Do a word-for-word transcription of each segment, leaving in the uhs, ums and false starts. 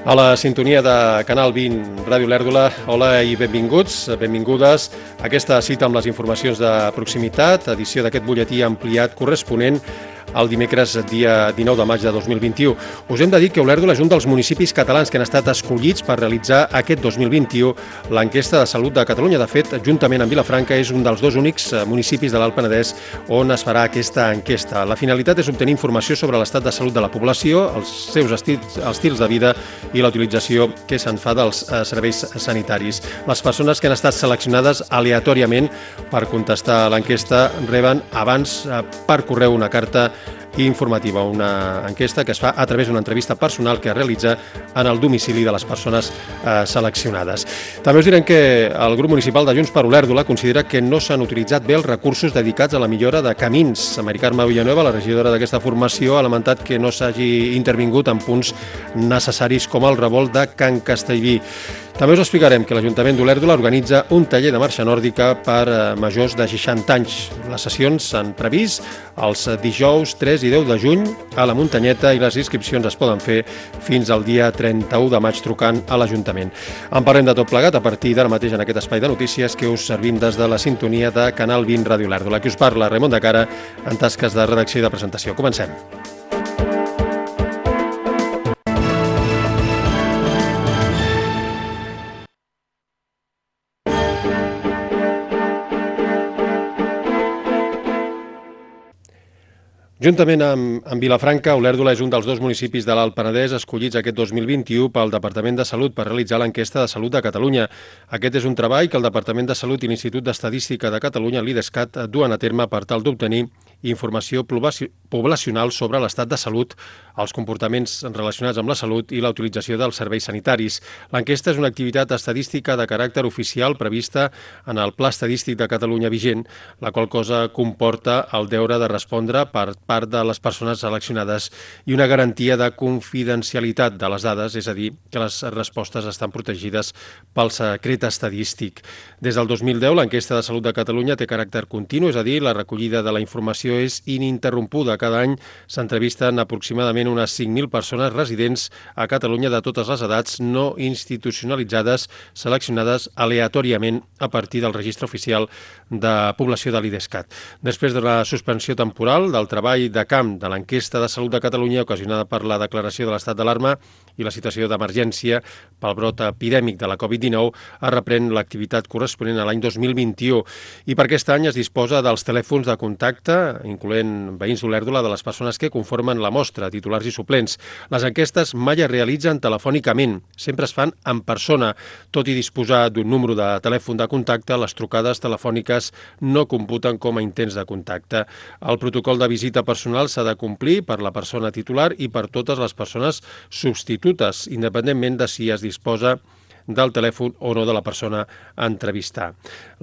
A la sintonia de Canal vint Ràdio Lèrdula, hola i benvinguts, benvingudes a aquesta cita amb les informacions de proximitat, edició d'aquest butlletí ampliat corresponent el dimecres dia dinou de maig de dos mil vint-i-u. Us hem de dir que Olèrdola és un dels municipis catalans que han estat escollits per realitzar aquest dos mil vint-i-u l'enquesta de salut de Catalunya. De fet, juntament amb Vilafranca, és un dels dos únics municipis de l'Alt Penedès on es farà aquesta enquesta. La finalitat és obtenir informació sobre l'estat de salut de la població, els seus estils, els estils de vida i la utilització que se'n fa dels serveis sanitaris. Les persones que han estat seleccionades aleatòriament per contestar l'enquesta reben abans per correu una carta informativa, una enquesta que es fa a través d'una entrevista personal que es realitza en el domicili de les persones eh, seleccionades. També us direm que el grup municipal de Junts per Olèrdola considera que no s'han utilitzat bé els recursos dedicats a la millora de camins. Mari Carme Villanueva, la regidora d'aquesta formació, ha lamentat que no s'hagi intervingut en punts necessaris com el revolt de Can Castellví. També us explicarem que l'Ajuntament d'Olèrdola organitza un taller de marxa nòrdica per majors de seixanta anys. Les sessions s'han previst els dijous tres i deu de juny a la Muntanyeta i les inscripcions es poden fer fins al dia trenta-u de maig trucant a l'Ajuntament. En parlem de tot plegat a partir d'ara mateix en aquest espai de notícies que us servim des de la sintonia de Canal vint Ràdio Lèrdula. Aquí us parla Raimon de Cara en tasques de redacció i de presentació. Comencem. Juntament amb, amb Vilafranca, Olèrdola és un dels dos municipis de l'Alt Penedès escollits aquest dos mil vint-i-u pel Departament de Salut per realitzar l'enquesta de salut de Catalunya. Aquest és un treball que el Departament de Salut i l'Institut d'Estadística de Catalunya, l'IDESCAT, duen a terme per tal d'obtenir informació poblacional sobre l'estat de salut, els comportaments relacionats amb la salut i la utilització dels serveis sanitaris. L'enquesta és una activitat estadística de caràcter oficial prevista en el Pla Estadístic de Catalunya vigent, la qual cosa comporta el deure de respondre per part de les persones seleccionades i una garantia de confidencialitat de les dades, és a dir, que les respostes estan protegides pel secret estadístic. Des del dos mil deu, l'enquesta de salut de Catalunya té caràcter continu, és a dir, la recollida de la informació és ininterrompuda. Cada any s'entrevisten aproximadament unes cinc mil persones residents a Catalunya de totes les edats no institucionalitzades, seleccionades aleatòriament a partir del registre oficial de població de l'IDESCAT. Després de la suspensió temporal del treball de camp de l'enquesta de salut de Catalunya ocasionada per la declaració de l'estat d'alarma i la situació d'emergència pel brot epidèmic de la covid dinou, es reprèn l'activitat corresponent a l'any dos mil vint-i-u i per aquest any es disposa dels telèfons de contacte, incloent veïns d'Olèrdola, de les persones que conformen la mostra, titulars i suplents. Les enquestes mai es realitzen telefònicament, sempre es fan en persona. Tot i disposar d'un número de telèfon de contacte, les trucades telefòniques no computen com a intents de contacte. El protocol de visita personal s'ha de complir per la persona titular i per totes les persones substitutes, independentment de si es disposa del telèfon o no de la persona a entrevistar.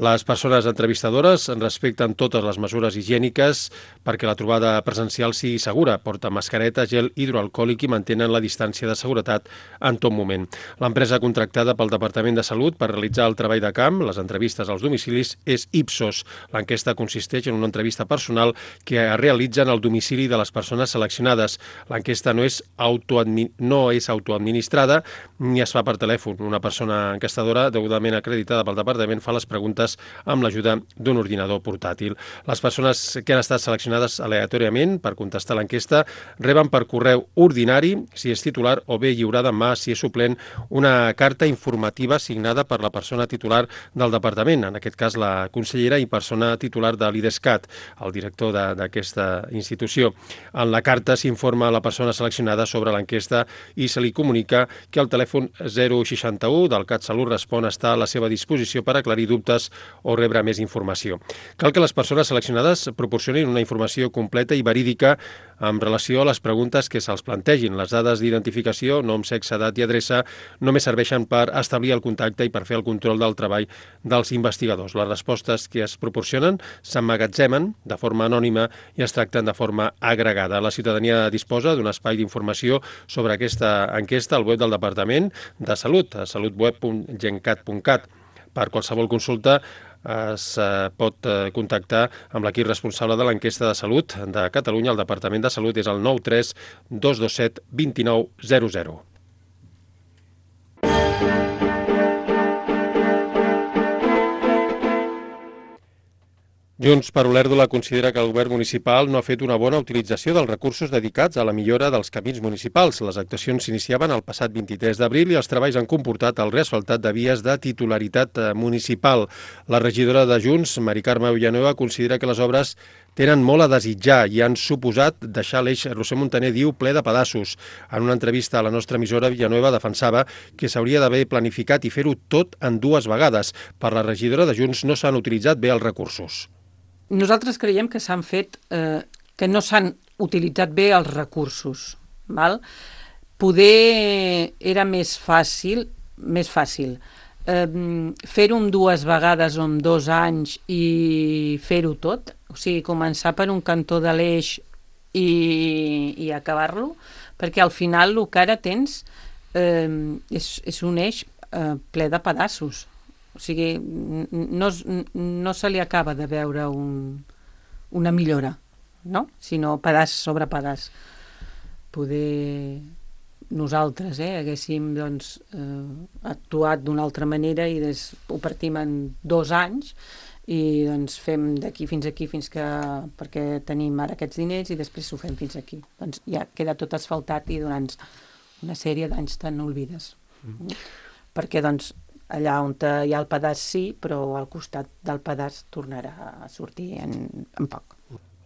Les persones entrevistadores respecten totes les mesures higièniques perquè la trobada presencial sigui segura, porten mascareta, gel hidroalcohòlic i mantenen la distància de seguretat en tot moment. L'empresa contractada pel Departament de Salut per realitzar el treball de camp, les entrevistes als domicilis, és Ipsos. L'enquesta consisteix en una entrevista personal que es realitza en el domicili de les persones seleccionades. L'enquesta no és, autoadmi- no és autoadministrada ni es fa per telèfon. Una persona persona enquestadora degudament acreditada pel departament fa les preguntes amb l'ajuda d'un ordinador portàtil. Les persones que han estat seleccionades aleatòriament per contestar l'enquesta reben per correu ordinari, si és titular, o bé lliurada en mà, si és suplent, una carta informativa signada per la persona titular del departament, en aquest cas la consellera i persona titular de l'IDESCAT, el director d'aquesta institució. En la carta s'informa a la persona seleccionada sobre l'enquesta i se li comunica que el telèfon zero seixanta-u del CatSalut Respon està a la seva disposició per aclarir dubtes o rebre més informació. Cal que les persones seleccionades proporcionin una informació completa i verídica en relació a les preguntes que se'ls plantegin. Les dades d'identificació, nom, sexe, edat i adreça només serveixen per establir el contacte i per fer el control del treball dels investigadors. Les respostes que es proporcionen s'emmagatzemen de forma anònima i es tracten de forma agregada. La ciutadania disposa d'un espai d'informació sobre aquesta enquesta al web del Departament de Salut, a salutweb punt gencat punt cat. Per qualsevol consulta es pot contactar amb l'equip responsable de l'enquesta de salut de Catalunya. El Departament de Salut és el nou tres dos dos set dos nou zero zero. Junts per Olèrdola considera que el govern municipal no ha fet una bona utilització dels recursos dedicats a la millora dels camins municipals. Les actuacions s'iniciaven el passat vint-i-tres d'abril i els treballs han comportat el reasfaltat de vies de titularitat municipal. La regidora de Junts, Mari Carme Villanueva, considera que les obres tenen molt a desitjar i han suposat deixar l'eix Roser Montaner, diu, ple de pedaços. En una entrevista a la nostra emissora, Villanueva defensava que s'hauria d'haver planificat i fer-ho tot en dues vegades. Per la regidora de Junts no s'han utilitzat bé els recursos. Nosaltres creiem que s'han fet, eh, que no s'han utilitzat bé els recursos. Val? Poder era més fàcil, més fàcil eh, fer-ho en dues vegades o en dos anys i fer-ho tot, o sigui, començar per un cantó de l'eix i, i acabar-lo, perquè al final el que ara tens eh, és, és un eix eh, ple de pedaços. O sigui, no, no se li acaba de veure un, una millora, no? Sinó pedaç sobre pedaç. Poder nosaltres eh, haguéssim doncs, eh, actuat d'una altra manera i des, ho partim en dos anys i doncs, fem d'aquí fins aquí fins que, perquè tenim ara aquests diners i després ho fem fins aquí. Doncs ja queda tot asfaltat i durant una sèrie d'anys tan olvides. Mm. Perquè doncs allà on hi ha el pedaç sí, però al costat del pedaç tornarà a sortir en, en poc.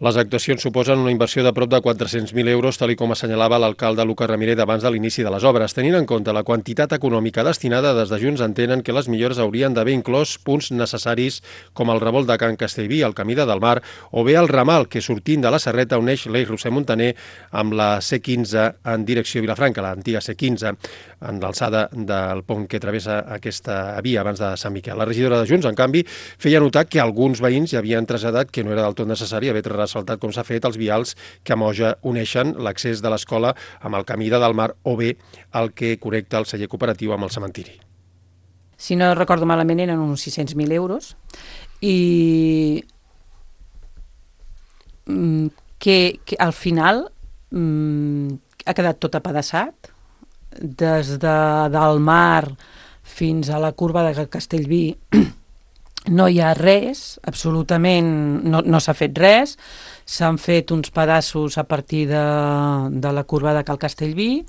Les actuacions suposen una inversió de prop de quatre-cents mil euros, tal com assenyalava l'alcalde Lucas Ramírez abans de l'inici de les obres. Tenint en compte la quantitat econòmica destinada, des de Junts entenen que les millores haurien d'haver inclòs punts necessaris com el revolt de Can Castellví, el camí de Delmar, o bé el ramal que, sortint de la Serreta, uneix l'eix Roser Montaner amb la C quinze en direcció a Vilafranca, l'antiga C quinze, en l'alçada del pont que travessa aquesta via abans de Sant Miquel. La regidora de Junts, en canvi, feia notar que alguns veïns ja havien traslladat que no era del tot necessari haver asfaltat com s'ha fet els vials que a Moja uneixen l'accés de l'escola amb el camí de Delmar o bé el que connecta el celler cooperatiu amb el cementiri. Si no recordo malament eren uns sis-cents mil euros i que, que al final ha quedat tot apedaçat des de Delmar fins a la curva de Castellví. No hi ha res, absolutament no, no s'ha fet res, s'han fet uns pedaços a partir de, de la curva de Cal Castellví.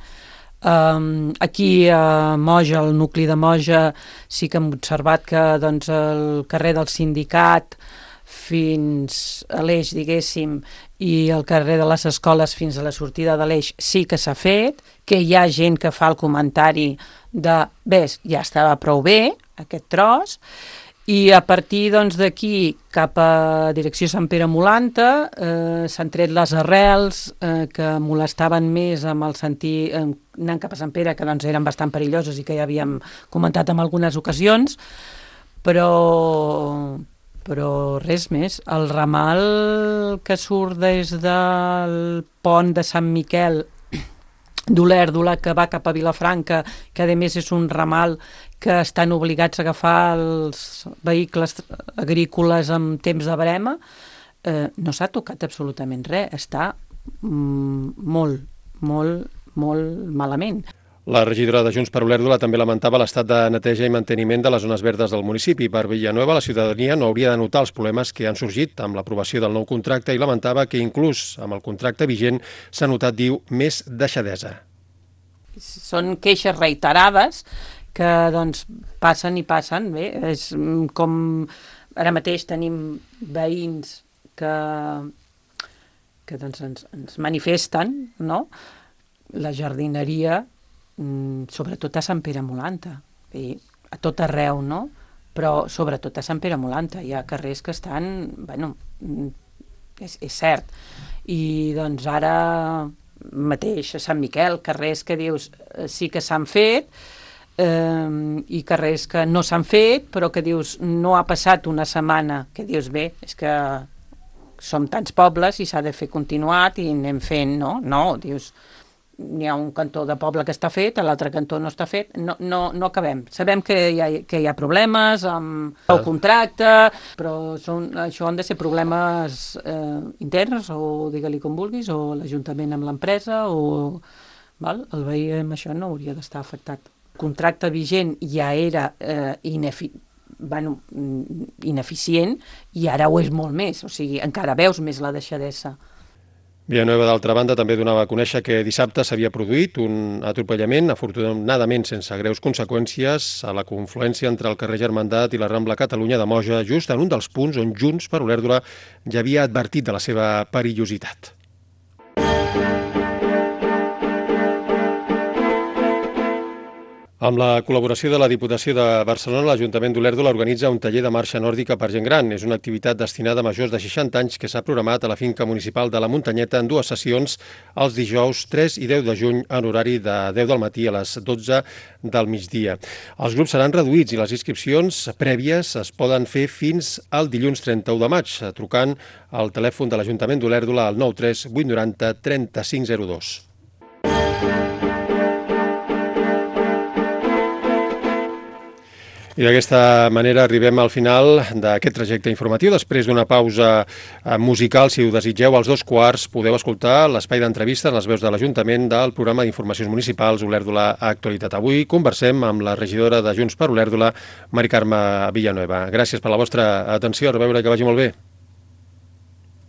Um, aquí a Moja, al nucli de Moja, sí que hem observat que doncs, el carrer del Sindicat fins a l'eix, diguéssim, i el carrer de les escoles fins a la sortida de l'eix sí que s'ha fet, que hi ha gent que fa el comentari de, ves, ja estava prou bé aquest tros, i a partir doncs, d'aquí cap a direcció Sant Pere Molanta eh, s'han tret les arrels eh, que molestaven més amb el sentit, eh, anant cap a Sant Pere, que doncs, eren bastant perilloses i que ja havíem comentat en algunes ocasions, però, però res més. El ramal que surt des del pont de Sant Miquel d'Olèrdola, que va cap a Vilafranca, que a més és un ramal que estan obligats a agafar els vehicles agrícoles en temps de verema, eh, no s'ha tocat absolutament res, està mm, molt, molt, molt malament. La regidora de Junts per Olèrdola també lamentava l'estat de neteja i manteniment de les zones verdes del municipi. Per Villanueva, la ciutadania no hauria de notar els problemes que han sorgit amb l'aprovació del nou contracte i lamentava que inclús amb el contracte vigent s'ha notat, diu, més deixadesa. Són queixes reiterades que doncs, passen i passen. Bé, és com ara mateix tenim veïns que, que doncs, ens, ens manifesten, no? La jardineria, sobretot a Sant Pere Molanta, i a tot arreu, no? Però sobretot a Sant Pere Molanta hi ha carrers que estan, bueno, és, és cert, i doncs ara mateix a Sant Miquel, carrers que dius sí que s'han fet eh, i carrers que no s'han fet, però que dius no ha passat una setmana, que dius bé, és que som tants pobles i s'ha de fer continuat i anem fent, no? No, dius, n'hi ha un cantó de poble que està fet, l'altre cantó no està fet, no, no, no acabem. Sabem que hi ha, que hi ha problemes amb el contracte, però són, això han de ser problemes eh, interns, o digue-li com vulguis, o l'Ajuntament amb l'empresa, o val? El veí amb això no hauria d'estar afectat. El contracte vigent ja era eh, inefi bueno, ineficient, i ara ho és molt més, o sigui, encara veus més la deixadesa. Villanueva, d'altra banda, també donava a conèixer que dissabte s'havia produït un atropellament, afortunadament sense greus conseqüències, a la confluència entre el carrer Germandat i la Rambla Catalunya de Moja, just en un dels punts on Junts per Olèrdola ja havia advertit de la seva perillositat. Amb la col·laboració de la Diputació de Barcelona, l'Ajuntament d'Olèrdola organitza un taller de marxa nòrdica per gent gran. És una activitat destinada a majors de seixanta anys que s'ha programat a la finca municipal de la Muntanyeta en dues sessions, els dijous tres i deu de juny en horari de deu del matí a les dotze del migdia. Els grups seran reduïts i les inscripcions prèvies es poden fer fins al dilluns trenta-u de maig, trucant al telèfon de l'Ajuntament d'Olèrdola al nou tres vuit nou zero trenta-cinc zero dos. I d'aquesta manera arribem al final d'aquest trajecte informatiu. Després d'una pausa musical, si ho desitgeu, als dos quarts podeu escoltar l'espai d'entrevistes en les veus de l'Ajuntament del programa d'informacions municipals Olèrdola Actualitat. Avui conversem amb la regidora de Junts per Olèrdola, Mari Carme Villanueva. Gràcies per la vostra atenció. A reveure, que vagi molt bé.